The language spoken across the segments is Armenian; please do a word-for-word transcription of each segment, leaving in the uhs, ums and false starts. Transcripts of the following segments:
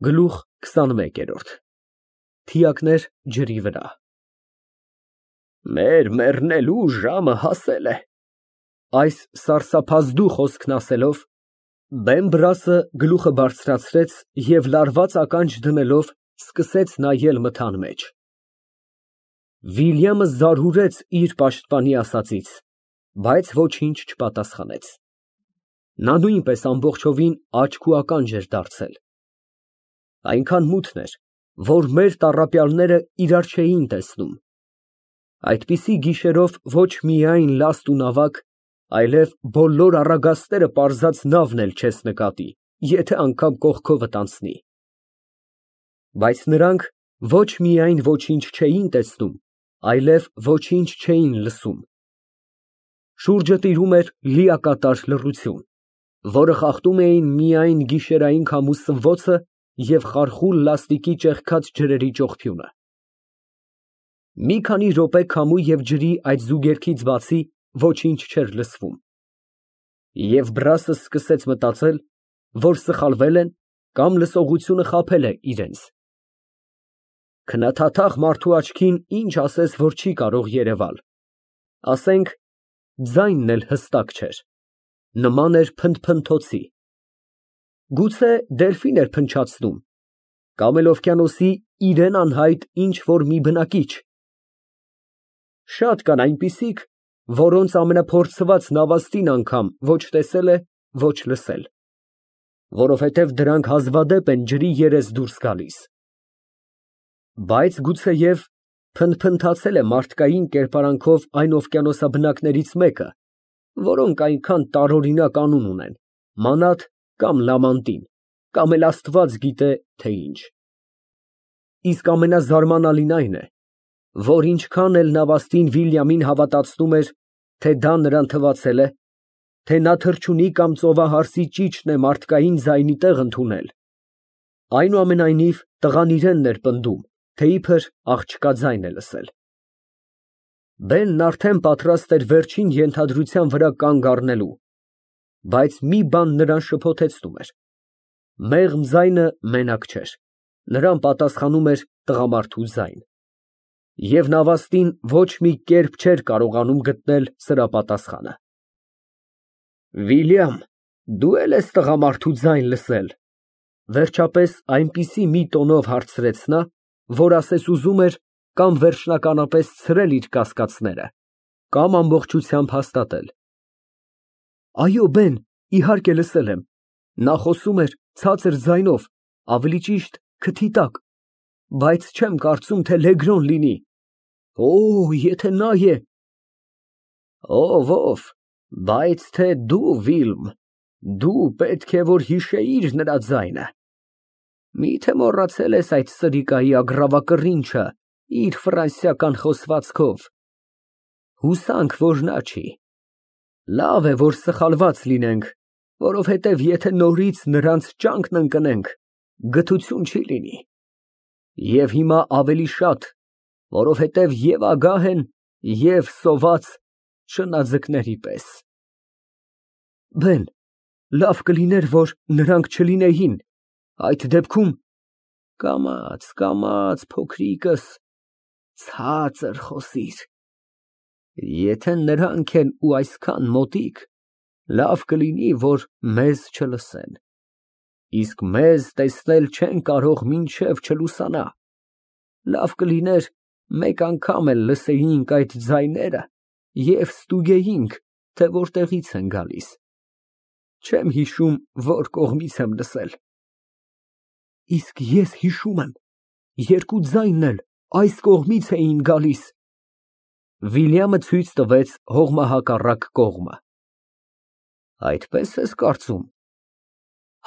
Գլուխ քսանմեկ։ Թիակներ ջրի վրա։ Մեր մեռնելու ժամը հասել է։ Այս սարսափազդու խոսքն ասելով, Բեմբրասը գլուխը բարձրացրեց և լարված ականջ դնելով սկսեց նայել մթան մեջ։ Վիլյամը զարհուրեց իր պաշտպանի ասածից, բայց ոչինչ չպատասխանեց։ Նա նույնպես ամբողջովին աչք ու ականջ էր դարձել։ Այնքան մութն էր, որ մեր տառապյալները իրար չէին տեսնում։ Այդպիսի գիշերով ոչ միայն լաստ ու նավակ, այլև բոլոր առագաստերը պարզած նավն էլ չես նկատի, եթե անգամ կողքովդ անցնի։ Բայց նրանք ոչ միայն ոչինչ չէին տեսնում, այլև ոչինչ չէին լսում։ Շուրջը տիրում էր լիակատար լռություն, որը խախտում էին միայն գիշերային քամու սվոցը և խարխուլ լաստիկի ճեղքած ջրերի ճողփյունը։ Մի քանի րոպե քամու և ջրի այդ զուգերգից բացի ոչինչ չէր լսվում։ Եվ Բրասը սկսեց մտածել, որ սխալվել են կամ լսողությունը խաբել է իրենց։ Քննադատաղ մարդու աչքին ինչ ասես, որ չի կարող երևալ, ասենք, ձայնն էլ հստակ չէր, նման էր փնթփնթոցի։ Գուցե դելֆին էր փնչացնում, կամ էլ օվկիանոսի իրեն անհայտ ինչ֊որ մի բնակիչ։ Շատ կան այնպիսիք, որոնց ամենափորձված նավաստին անգամ ոչ տեսել է, ոչ լսել, որովհետև դրանք հազվադեպ են ջրի երես դուրս գալիս։ Բայց գուցեև փնթփնթացել է մարդկային կերպարանքով այն օվկիանոսաբնակներից մեկը, որոնք այնքան տարօրինակ անուն ունեն, մանաթ կամ լամանտին, կամ էլ աստված գիտե, թե ինչ։ Իսկ ամենազարմանալին այն է, որ ինչքան էլ նավաստին Վիլյամին հավատացնում էր, թե դա նրան թվացել է, թե նա թռչունի կամ ծովահարսի ճիչն է մարդկային ձայնի տեղ ընդունել, այնուամենայնիվ տղան իրենն էր պնդում, թե իբր աղջկա ձայն է լսել։ Բենն արդեն պատրաստ էր վերջին ենթադրության վրա կանգ առնելու, բայց մի բան նրան շփոթեցնում էր. մեղմ ձայնը մենակ չէր, նրան պատասխանում էր տղամարդու ձայն։ Եվ նավաստին ոչ մի կերպ չէր կարողանում գտնել սրա պատասխանը։ Վիլյամ, դու էլ ես տղամարդու ձայն լսել, վերջապես այնպիսի մի տոնով հարցրեց նա, որ ասես ուզում էր կամ վերջնականապես ցրել իր կասկածները, կամ ամբողջությամբ հաստատել։ Այո, Բեն, իհարկե լսել եմ, նա խոսում էր ցածր ձայնով, ավելի ճիշտ քթի տակ, բայց չեմ կարծում, թե Լեգրոն լինի։ Օ, եթե նա է… Ով, ով, բայց թե դու, Վիլմ, դու պետք է որ հիշեիր նրա ձայնը։ Մի՞թե մոռացել ես այդ սրիկայի ագռավակռինչը իր ֆրանսիական խոսվածքով։ Հուսանք, որ նա չի։ Լավ է, որ սխալված լինենք, որովհետև եթե նորից նրանց ճանկն ընկնենք, գթություն չի լինի։ Եվ հիմա ավելի շատ, որովհետև և ագահ են, և սոված շնաձկների պես։ Բեն, լավ կլիներ, որ նրանք չլինեին, այդ դեպքում… Կամաց, կամաց, փոքրիկս, ցածր խոսիր։ Եթե նրանք են ու այսքան մոտիկ, լավ կլինի, որ մեզ չլսեն, իսկ մեզ տեսնել չեն կարող մինչև չլուսանա, լավ կլիներ մեկ անգամ էլ լսեինք այդ ձայները և ստուգեինք, թե որտեղից են գալիս։ Չեմ հիշում, որ կողմից եմ լսել։ Իսկ ես հիշում եմ, երկու ձայնն էլ այս կողմից էին գալիս։ Վիլյամը ցույց տվեց հողմահակառակ կողմը։ Այդպես ես կարծում։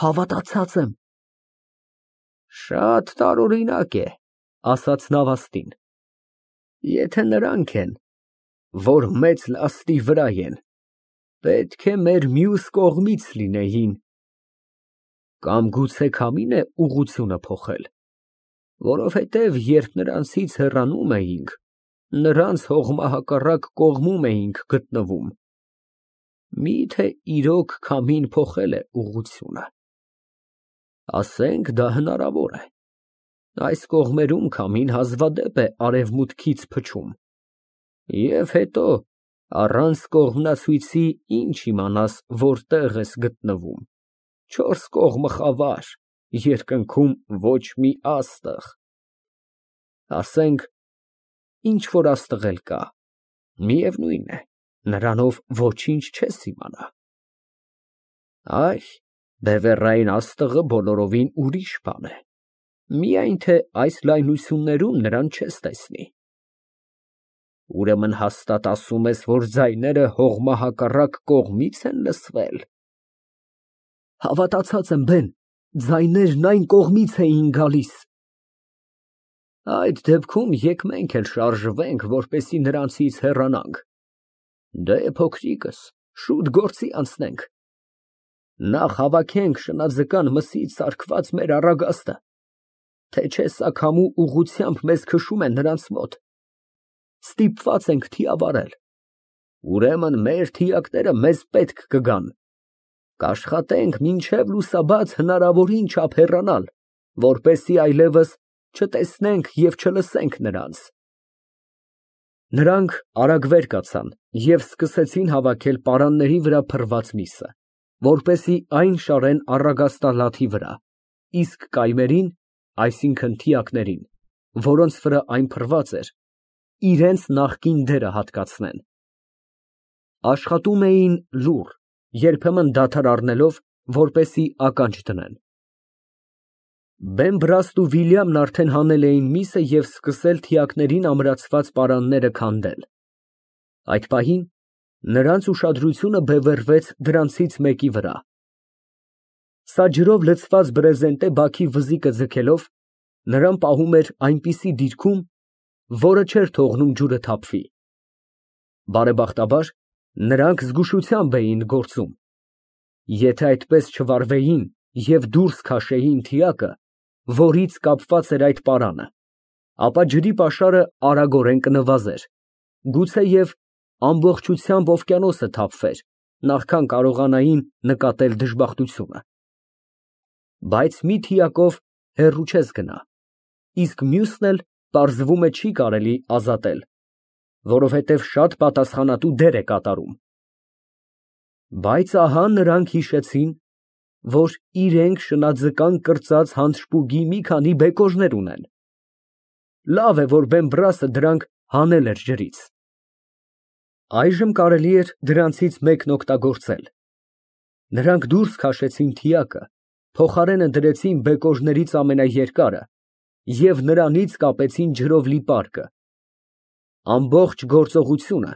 Հավատացած եմ։ Շատ տարօրինակ է, ասաց նավաստին։ Եթե նրանք են, որ մեծ լաստի վրա են, պետք է մեր մյուս կողմից լինեին։ Կամ գուցե քամին է ուղղությունը փոխել, որովհետև երբ նրանցից հեռանում էինք, նրանց հողմահակառակ կողմում էինք գտնվում։ Մի՞թե իրոք քամին փոխել է ուղղությունը։ Ասենք դա հնարավոր է։ Այս կողմերում քամին հազվադեպ է արևմուտքից փչում, և հետո առանց կողմնացույցի ինչ իմանաս որտեղ ես գտնվում, չորս կողմը խավար, երկնքում ոչ մի աստղ։ Ասենք, ինչ որ աստղ էլ կա, միևնույն է, նրանով ոչինչ չես իմանա։ Այ, բևեռային աստղը բոլորովին ուրիշ բան է, միայն թե այս լայնություններում նրան չես տեսնի։ Ուրեմն հաստատ ասում ես, որ ձայները հողմահակառակ կողմից են լսվել։ Հավատացած եմ, բեն, ձայներն այն կողմից էին գալիս։ Այդ դեպքում եկ մենք էլ շարժվենք, որպեսզի նրանցից հեռանանք։ Դե, փոքրիկս, շուտ գործի անցնենք։ Նախ հավաքենք շնաձկան մսից սարքված մեր առագաստը, թե չէ սա քամու ուղղությամբ մեզ քշում է նրանց մոտ։ Ստիպված ենք թիավարել, ուրեմն մեր թիակները մեզ պետք կգան։ Կաշխատենք մինչև լուսաբաց հնարավորին չափ հեռանալ, որպեսզի այլևս չտեսնենք և չլսենք նրանց։ Նրանք արագ վեր կացան և սկսեցին հավաքել պարանների վրա փռված միսը, որպեսզի այն շարեն առագաստալաթի վրա, իսկ կայմերին, այսինքն թիակներին, որոնց վրա այն փռված էր, իրենց նախկին դերը հատկացնեն։ Աշխատում էին լուռ, երբեմն դադար առնելով, որպեսզի ականջ դնեն։ Բեմբրաստ ու Վիլյամն արդեն հանել էին միսը և սկսել թիակներին ամրացված պարանները քանդել։ Այդ պահին նրանց ուշադրությունը բևեռվեց դրանցից մեկի վրա։ Սա ջրով լցված բրեզենտե բաքի վզիկը ձգելով, նրան պահում էր այնպիսի դիրքում, որը չէր թողնում ջուրը թափվի։ Բարեբախտաբար, նրանք զգուշությամբ էին գործում։ Եթե այդպես չվարվեին և դուրս քաշեին թիակը, որից կապված էր այդ պարանը, ապա ջրի պաշարը արագորեն կնվազեր, գուցեև ամբողջությամբ օվկիանոսը թափվեր, նախքան կարողանային նկատել դժբախտությունը։ Բայց մի թիակով հեռու չես գնա, իսկ մյուսն էլ, պարզվում է, չի կարելի ազատել, որովհետև շատ պատասխանատու դեր է կատարում։ Բայց ահա նրանք հիշեցին, որ իրենք շնաձկան կրծած հանցշպուգի մի քանի բեկորներ ունեն։ Լավ է, որ Բեմբրասը դրանք հանել էր ջրից։ Այժմ կարելի էր դրանցից մեկն օգտագործել։ Նրանք դուրս քաշեցին թիակը, փոխարենը դրեցին բեկորներից ամենաերկարը և նրանից կապեցին ջրով լի պարկը։ Ամբողջ գործողությունը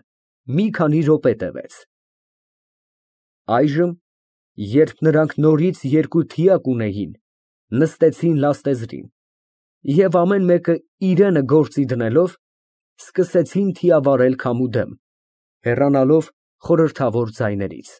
մի քանի րոպե տևեց։ Այժմ, երբ նրանք նորից երկու թիակ ունեին, նստեցին լաստեզրին և ամեն մեկը իրենը գործի դնելով, սկսեցին թիավարել քամու դեմ, հեռանալով խորհրդավոր ձայներից։